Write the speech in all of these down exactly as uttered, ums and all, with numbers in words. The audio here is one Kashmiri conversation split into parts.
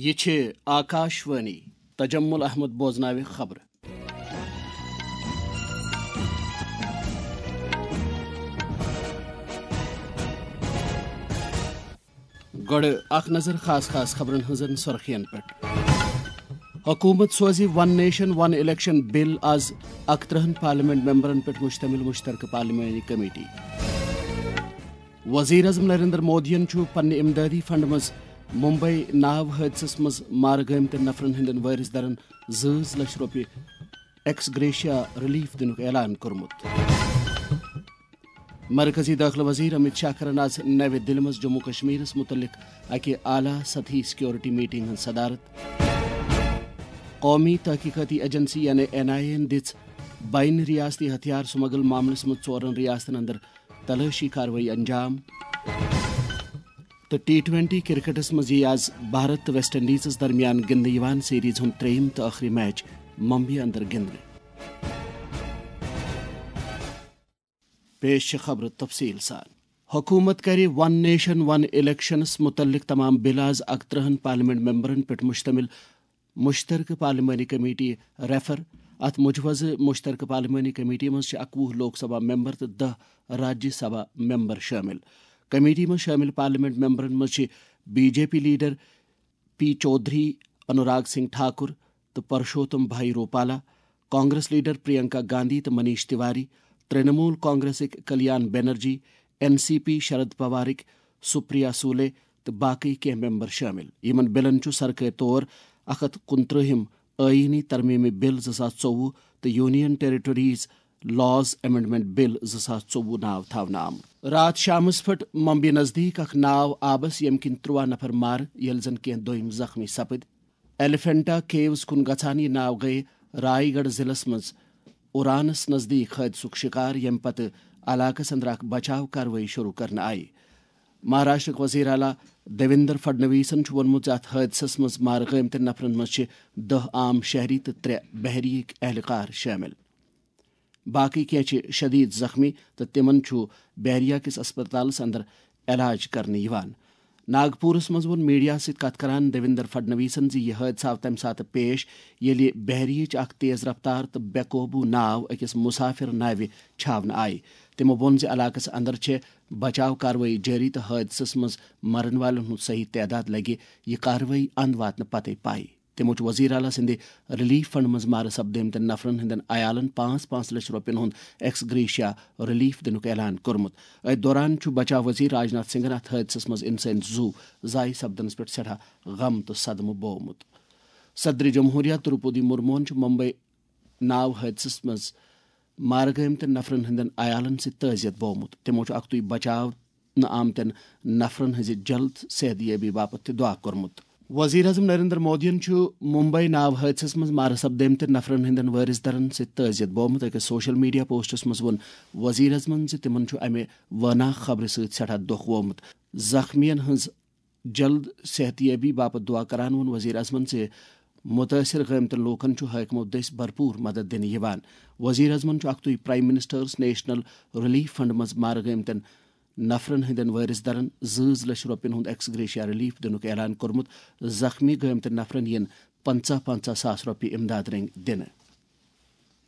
یہِ چھِ آکاش وانی۔ تجمل احمد بوزناوِ خبرٕ۔ گۄڈٕ اکھ نظر خاص خاص خبرن ہٕنٛزن سُرخین پٮ۪ٹھ۔ حکوٗمت سوزِ ون نیشن ون الیکشن بل از اکترٕہن پارلیمنٹ ممبرن پٮ۪ٹھ مشتمل مشترکہٕ پارلیمانی کمیٹی۔ وزیر اعظم نریندر مودیَن چھُ پننہِ امدادی فنڈ منٛز ممبئی ناو حٲدثس منٛز مارٕ گٲمتٮ۪ن نفرن ہٕنٛدٮ۪ن وٲرث دارن زٕ لچھ رۄپیہِ ایکس گریشیا ریلیف دِنُک اعلان کوٚرمُت۔ مرکزی دٲخلہٕ وزیر امت شاہ کرن آز نوِ دِلہِ منٛز جموں کشمیرس مُتعلق اکہِ اعلیٰ سطحی سیکورٹی میٹنگ ہٕنٛز صدارت۔ قومی تحقیقاتی ایجنسی یعنی این آئی اے یَن دِژ بین ریاستی ہتھیار سمگل معاملس منٛز ژورن ریاستن اندر تلٲشی کاروٲیی انجام۔ تہٕ ٹی ٹوینٹی کرکٹس منٛز یِیہِ آز بھارت تہٕ ویسٹ انڈیزس درمیان گِنٛدنہٕ یِوان سیریز ہُنٛد ترٛیٚیِم تہٕ ٲخری میچ ممبئی اندر گِنٛدنہٕ۔ پیش چھِ خبرٕ تفصیٖل سان۔ حکوٗمت کَرِ ون نیشن ون الیکشنس مُتعلق تمام بل از اکترٕہن پارلیمنٹ ممبرن پٮ۪ٹھ مشتمل مشترکہٕ پارلیمانی کمیٹی ریفر۔ اتھ مجوزٕ مشترکہٕ پارلیمانی کمیٹی منٛز چھِ اکوُہ لوک سبھا ممبر تہٕ دَہ راجیہ سبھا ممبر شٲمِل۔ کمیٹی منٛز شٲمِل پارلیمنٹ ممبرن منٛز چھِ B J P leader P Chaudhary, Anurag Singh Thakur تہٕ پرشوتم بھائی روپالا، کانگریس لیڈر پرینکا گاندھی تہٕ منیش تیواری، ترنمول کانگریسٕکۍ Kalyan Banerjee, N C P Sharad پوارٕکۍ سپریا سولے تہٕ باقٕے کینٛہہ ممبر شٲمِل۔ یِمن بلن چھُ سرکٲرۍ طور اکھ ہتھ کُنترٛہِم آئینی ترمیمی بل زٕ ساس ژوٚوُہ تہٕ یونین ٹیریٹریز لاز امینڈمنٹ بل زٕ ساس ژوٚوُہ ناو تھاونہٕ آمُت۔ راتھ شامس پھٔٹ ممبئی نزدیٖک اکھ ناو آبس، ییٚمہِ کِنۍ ترٛواہ نفر مارٕ، ییٚلہِ زن کینٛہہ دوٚیِم زخمی سپٕدۍ۔ ایلیفینٹا کیوز کُن گژھان یہِ ناو گٔیہِ رائے گڑھ ضلعس منٛز اورانس نزدیٖک حٲدثُک شِکار، ییٚمہِ پتہٕ علاقس اندر اکھ بچاو کاروٲیی شروع کرنہٕ آیہِ۔ مہاراشٹرٕکۍ وزیر اعلیٰ دیویندر فڈنویسن چھُ ووٚنمُت زِ اتھ حٲدثس منٛز مارٕ گٲمتٮ۪ن نفرن منٛز چھِ دَہ عام شہری تہٕ ترٛےٚ بحریہٕکۍ اہلکار شٲمِل۔ باقٕے کینٛہہ چھِ شدید زخمی تہٕ تِمن چھُ بحریہ کِس اسپتالس اندر علاج کرنہٕ یِوان۔ ناگپورس منٛز ووٚن میڈیا سۭتۍ کتھ کران دیویندر فڈنویسن زِ یہِ حٲدثہٕ آو تمہِ ساتہٕ پیش، ییٚلہِ بحریہٕچ اکھ تیز رفتار تہٕ بے قوبوٗ ناو أکِس مسافر ناوِ چھاونہٕ آیہِ۔ تِمو ووٚن زِ علاقس اندر چھِ بچاو کاروٲیی جٲری تہٕ حٲدثس منٛز مرن والٮ۪ن ہُنٛد صحیح تعداد لگہِ یہِ کاروٲیی اند واتنہٕ پتے پاے۔ تِمو چھُ وزیر اعلیٰ سٕنٛدِ ریلیف فنڈ منٛز مارٕ سپدٲمتٮ۪ن نفرن ہٕنٛدٮ۪ن عیالن پانٛژھ پانٛژھ لچھ رۄپین ہُنٛد ایکس گریشیا ریلیف دِنُک اعلان کوٚرمُت۔ أتھۍ دوران چھُ بچاو وزیر راجناتھ سنگھن اتھ حٲدثس منٛز انسٲنی زُو ضایع سپدنس پٮ۪ٹھ سٮ۪ٹھاہ غم تہٕ صدمہٕ بوومُت۔ صدر جمہوریہ دروپدی مرموہن چھُ ممبئی ناو حٲدثس منٛز مارٕ گٲمتٮ۪ن نفرن ہٕنٛدٮ۪ن عیالن سۭتۍ تعزیت بوومُت۔ تِمو چھُ اکھتُے بچاونہٕ آمتٮ۪ن نفرن ہٕنٛزِ جلد صحت یٲبی باپتھ تہِ دعا کوٚرمُت۔ وزیر اعظم نریندر مودیَن چھُ ممبئی ناو حٲدثس منٛز مارٕ سپدٲمتٮ۪ن نفرن ہٕنٛدٮ۪ن وٲرث دارن سۭتۍ تعزیت بوومُت۔ أکِس سوشل میڈیا پوسٹس منٛز ووٚن وزیر اعظمن زِ تِمن چھُ امہِ وٲناکھ خبرِ سۭتۍ سٮ۪ٹھاہ دۄکھ ووٚمُت۔ زخمیَن ہٕنٛز جلد صحت یٲبی باپتھ دعا کران ووٚن وزیر اعظمن زِ مُتٲثِر گٲمتٮ۪ن لوٗکن چھُ حٲکمو دٔسۍ بھرپوٗر مدد دِنہٕ یِوان۔ وزیر اعظمن چھُ اکھتُے prime ministers national relief fund منٛز مارٕ گٲمتٮ۪ن نفرن ہٕنٛدٮ۪ن وٲرث دارن زٕ زٕ لچھ رۄپین ہُنٛد ایکس گریشیا ریلیف دِنُک اعلان کوٚرمُت۔ زخمی گٲمتٮ۪ن نفرن یِن پنٛژاہ پنٛژاہ ساس رۄپیہِ امداد رٔنگۍ دِنہٕ۔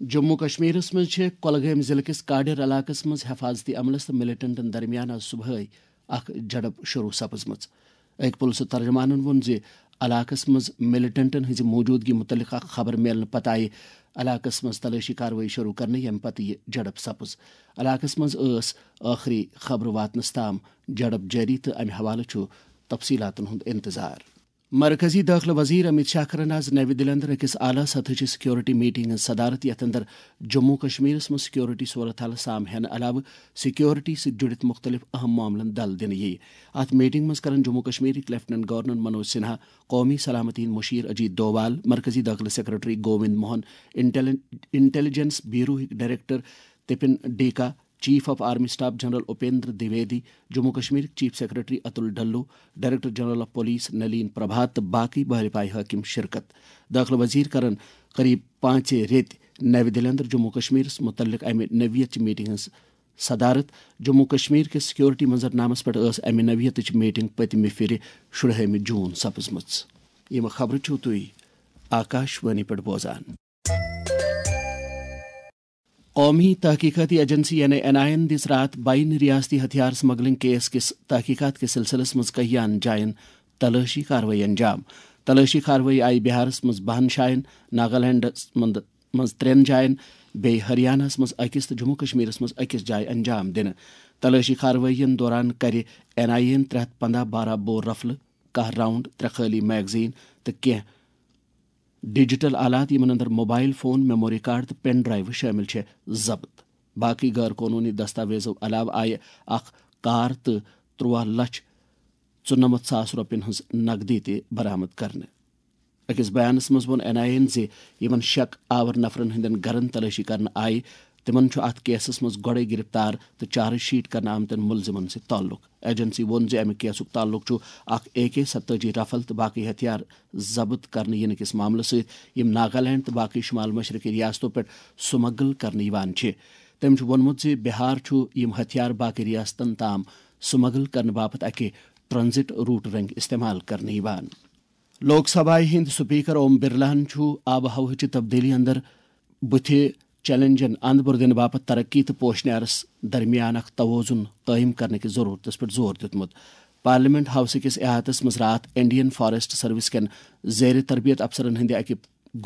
جموں کشمیرس منٛز چھِ کۄلگٲمۍ ضلعہٕ کِس کاڈر علاقس منٛز حفاظتی عملس تہٕ ملیٹنٹن درمیان آز صبحٲے اکھ جھڑپ شروع سپٕزمٕژ۔ أکۍ پُلسہٕ ترجمانن ووٚن زِ علاقس منٛز ملیٹنٹن ہٕنٛزِ موجودگی مُتعلق اکھ خبر میلنہٕ پتہٕ آیہِ علاقس منٛز تلٲشی کاروٲیی شروع کرنہٕ، ییٚمہِ پتہٕ یہِ جھڑپ سپٕز۔ علاقس منٛز ٲس ٲخری خبرٕ واتنس تام جھڑپ جٲری تہٕ امہِ حوالہٕ چھُ تفصیلاتن ہُنٛد انتظار۔ مرکزی دٲخلہٕ وزیر امت شاہ کرن آز نوِ دِلہِ اندر أکِس اعلیٰ سطحٕچہِ سیکورٹی میٹنگ ہٕنٛز صدارت، یتھ اندر جموں کشمیرس منٛز سیکورٹی صورت حال سام ہینہٕ علاوٕ سیکورٹی سۭتۍ جُڑِتھ مُختٔلِف اہم معاملن دل دِنہٕ یِیہِ۔ اتھ میٹنگ منٛز کرن جموں کشمیرٕکۍ لیفٹیننٹ گورنر منوج سنہا، قومی سلامتی ہٕنٛدۍ مُشیر اجیت ڈووال، مرکزی دٲخلہٕ سیکرٹری گووند موہن، انٹیلی-، انٹیلیجنس بیوروہٕکۍ director Tapan Deka, chief of army staff general Upendra Dwivedi, Jammu کشمیرٕکۍ chief secretary Atal Dulloo, director general of police Nalin Prabhat تہٕ باقٕے بحرِ پایہِ حٲکِم شرکت۔ دٲخلہٕ وزیر کرن قریب پانٛژے ریٚتۍ نوِ دِلہِ اندر جموں کشمیرس مُتعلق امہِ نوعیت چہِ میٹنگ ہٕنٛز صدارت۔ جموں کشمیر کِس سیکورٹی منظرنامس پٮ۪ٹھ ٲس امہِ نوعیتٕچ میٹنگ پٔتمہِ پھِرِ شُرہٲمہِ جون سپٕزمٕژ۔ یِم خبرٕ چھِو تُہۍ آکاش وانی پٮ۪ٹھ بوزان۔ قومی تحقیقاتی ایجنسی یعنی این آئی اے یَن دِژ راتھ بین ریاستی ہتھیار سمگلنگ کیس کِس تحقیقات کِس سلسلس منٛز کٔہیاہن جاین تلٲشی کاروٲیی انجام۔ تلٲشی کاروٲیی آیہِ بہارس منٛز بہن جاین، ناگالینڈس منٛز منٛز ترٛٮ۪ن جاین، بیٚیہِ ہریاناہس منٛز أکِس تہٕ جموں کشمیرس منٛز أکِس جایہِ انجام دِنہٕ۔ تلٲشی کاروٲیین دوران کرِ این آئی اے یَن ترٛےٚ ہتھ پنٛداہ بارہ بور رفلہٕ، کاہ راؤنڈ، ترٛےٚ خٲلی میگزین تہٕ کینٛہہ ڈیجیٹل آلات، یِمن اندر موبائل فون، میموری کارڈ تہٕ پین ڈرائیو شٲمِل چھِ، ضبط۔ باقٕے غٲر قونوٗنی دستاویزو علاوٕ آیہِ اکھ کار تہٕ تُرٛواہ لچھ ژُنَمَتھ ساس رۄپین ہٕنٛز نقدی تہِ برآمد کرنہٕ۔ أکِس بیانس منٛز ووٚن این آئی اے یَن زِ یِمن شک آور نفرن ہٕنٛدٮ۪ن گرن تلٲشی کرنہٕ آیہِ، تِمن چھُ اتھ کیسس منٛز گۄڈَے گرفتار تہٕ چارج شیٹ کرنہٕ آمتٮ۪ن مُلزِمن سۭتۍ تعلق۔ ایجنسی ووٚن زِ امہِ کیسُک تعلق چھُ اکھ اے کے ستٲجی رفل تہٕ باقٕے ہتھیار ضبط کرنہٕ یِنہٕ کِس معاملس سۭتۍ، یِم ناگالینڈ تہٕ باقٕے شمال مشرقی ریاستو پٮ۪ٹھ سمگل کرنہٕ یِوان چھِ۔ تٔمۍ چھُ ووٚنمُت زِ بہار چھُ یِم ہتھیار باقٕے ریاستن تام سمگل کرنہٕ باپتھ اکہِ ٹرانزٹ روٹ رنگۍ استعمال کرنہٕ یِوان۔ لوک سبھایہ ہٕنٛدۍ سپیکر اوم برلاہن چھُ آب و ہوہٕچہِ تبدیلی اندر بُتھِ چیلنجن اند بُر دِنہٕ باپتھ ترقی تہٕ پوشنیارس درمیان اکھ توازن قٲیِم کرنہٕ کِس ضرورتس پٮ۪ٹھ زور دیُتمُت۔ پارلیمنٹ ہاؤس کِس احاطس منٛز راتھ انڈین فاریسٹ سروس کٮ۪ن زیر تربیت افسرن ہٕنٛدِ اکہِ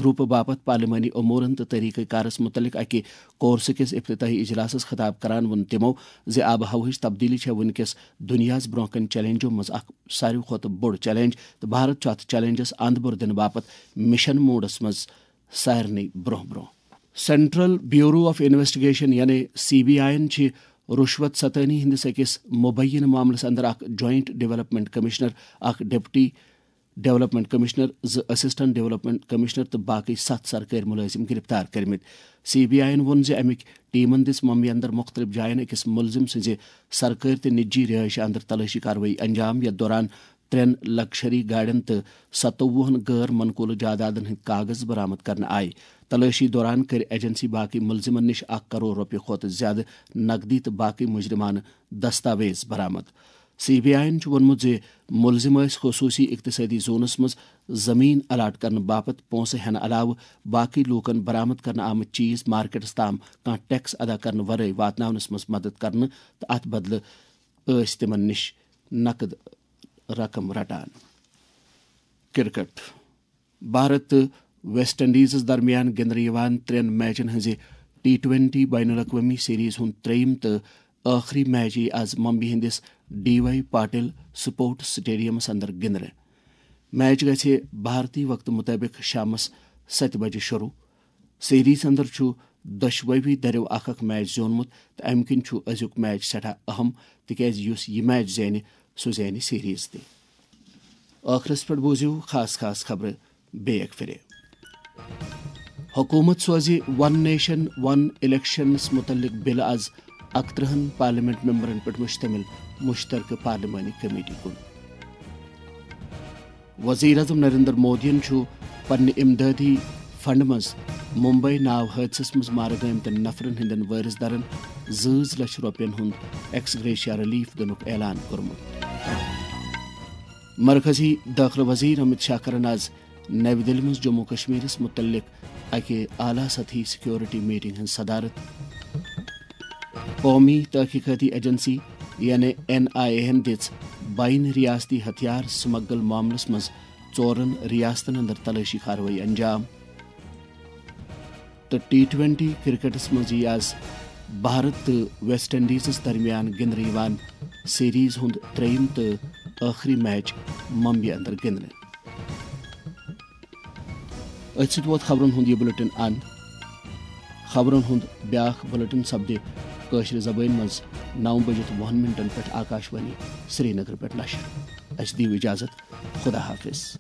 گروپہٕ باپتھ پارلیمانی امورن تہٕ طریقہ کارس متعلق اکہِ کورسہٕ کِس افتتاحی اجلاسس خطاب کران ووٚن تِمو زِ آب و ہوہٕچ تبدیلی چھےٚ وُنکیٚس دُنیاہس برونٛہہ کنہِ چیلنجو منٛز اکھ ساروی کھۄتہٕ بوٚڑ چیلنج تہٕ بھارت چھُ اتھ چیلنجس اند بُر دِنہٕ باپتھ مشن موڈس منٛز سارنٕے برونٛہہ برونٛہہ۔ سینٹرل بیورو آف انویسٹیگیشن یعنی سی بی آئی یَن چھِ رُشوت ستٲنی ہٕنٛدِس أکِس مُبینہٕ معاملس اندر اکھ جوائنٹ ڈیولپمنٹ کمشنر، اکھ ڈپٹی ڈیولپمنٹ کمشنر، زٕ اسسٹنٹ ڈیولپمنٹ کمشنر تہٕ باقٕے ستھ سرکٲرۍ مُلٲزِم گرفتار کٔرمٕتۍ۔ سی بی آئی یَن ووٚن زِ اَمِکۍ ٹیمن دِژ ممبیہِ اندر مُختٔلِف جاین أکِس مُلزِم سٕنٛزِ سرکٲرۍ تہٕ نجی رہٲیشہِ اندر تلٲشی کاروٲیی انجام، یتھ دوران ترٛٮ۪ن لگژری گاڑٮ۪ن تہٕ ستووُہن غٲر منقولہٕ جائیدادن ہٕنٛدۍ کاغذ برآمد کرنہٕ آیہِ۔ تلٲشی دوران کٔرۍ ایجنسی باقٕے مُلزِمن نِش اکھ کرور رۄپیہِ کھۄتہٕ زِیٛادٕ نقدی تہٕ باقٕے مُجرمانہٕ دستاویز برآمد۔ سی بی آئی یَن چھُ ووٚنمُت زِ مُلزِم ٲسۍ خصوٗصی اقتصٲدی زونَس منٛز زٔمیٖن الاٹ کرنہٕ باپتھ پونٛسہٕ ہٮ۪نہٕ علاوٕ باقٕے لوٗکَن برآمد کرنہٕ آمٕتۍ چیٖز مارکیٹَس تام کانٛہہ ٹیکس ادا کرنہٕ ورٲے واتناونَس منٛز مدد کرنہٕ تہٕ اَتھ بدلہٕ ٲسۍ تِمَن نِش نقد رقم رٹان۔ کرکٹ۔ بھارت تہٕ ویسٹ انڈیزس درمیان گِنٛدنہٕ یِوان ترٛٮ۪ن میچن ہٕنٛزِ ٹی ٹوینٹی بین الاقوٲمی سیریز ہُنٛد ترٛیٚیِم تہٕ ٲخری میچ یِیہِ از ممبئی ہٕنٛدِس ڈی وائی پاٹل سپورٹس سٹیڈیمس اندر گِنٛدنہٕ۔ میچ گژھِ بھارتی وقتہٕ مُطٲبِق شامس ستہِ بجہِ شروع۔ سیریز اندر چھُ دۄشوٕے دٔریو اکھ اکھ میچ زیوٗنمُت تہٕ امہِ کِنۍ چھُ أزیُک میچ سٮ۪ٹھاہ اہم، تِکیازِ یُس یہِ میچ زینہِ، سُہ زینہِ سیریز تہِ۔ ٲخرس پٮ۪ٹھ بوٗزِو خاص خاص خبرٕ بیٚیہِ اکہِ پھِرِ۔ حکوٗمت سوزِ ون نیشن ون الیکشنس مُتعلق بل از اکترٕہن پارلیمنٹ ممبرن پٮ۪ٹھ مشتمل مشترکہٕ پارلیمانی کمیٹی کُن۔ وزیر اعظم نریندر مودیَن چھُ پننہِ امدادی فنڈ منٛز ممبئی ناو حٲدثس منٛز مارٕ گٲمتٮ۪ن نفرن ہٕنٛدٮ۪ن وٲرث دارن زٕ لچھ رۄپین ہُنٛد ایکس گریشیا ریلیف دِنُک اعلان کوٚرمُت۔ مرکزی دٲخلہٕ وزیر امت شاہ کرن آز نَوِ دِلہِ منٛز جموں کشمیرس مُتعلق اکہِ اعلیٰ سطحی سیکورٹی میٹنگ ہٕنٛز صدارت۔ قومی تحقیقاتی ایجنسی یعنی این آئی اے ہن دِژ بین ریاستی ہتھیار سمگل معاملس منٛز ژورن ریاستن اندر تلٲشی کاروٲیی انجام۔ تہٕ ٹی ٹوینٹی کرکٹس منٛز یِیہِ آز بھارت تہٕ ویسٹ انڈیزس درمیان گِنٛدنہٕ یِوان سیریز ہُنٛد ترٛیٚیِم تہٕ ٲخری میچ ممبئی اندر گِنٛدنہٕ۔ أتھۍ سۭتۍ ووت خبرن ہُنٛد یہِ بُلٹن اند۔ خبرن ہُنٛد بیاکھ بُلٹن سپدِ کٲشرِ زبٲنۍ منٛز نَو بجِتھ وُہن منٹن پٮ۪ٹھ آکاشوانی سرینگر پٮ۪ٹھ نشر۔ اسہِ دِیِو اجازت۔ خدا حافظ۔